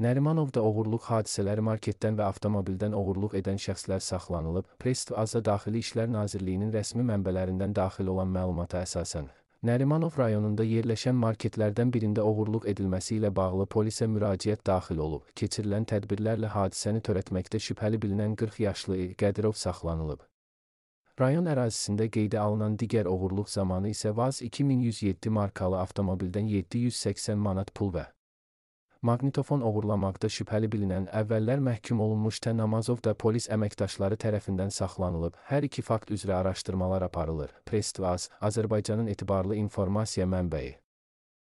Nərimanovda oğurluq hadisələri marketdən və avtomobildən oğurluq edən şəxslər saxlanılıb. Press TV-a Daxili İşlər Nazirliyinin rəsmi mənbələrindən daxil olan məlumata əsasən, Nərimanov rayonunda yerləşən marketlərdən birində oğurluq edilməsi ilə bağlı polisə müraciət daxil olub. Keçirilən tədbirlərlə hadisəni törətməkdə şübhəli bilinən 40 yaşlı Qədirov saxlanılıb. Rayon ərazisində qeydə alınan digər oğurluq zamanı isə VAZ 2107 markalı avtomobildən 780 manat pul və maqnitofon oğurlamaqda şübhəli bilinən əvvəllər məhkum olunmuş Namazov da polis əməkdaşları tərəfindən saxlanılıb. Hər iki fakt üzrə araşdırmalar aparılır. Press TV, Azərbaycanın etibarlı informasiya mənbəyi.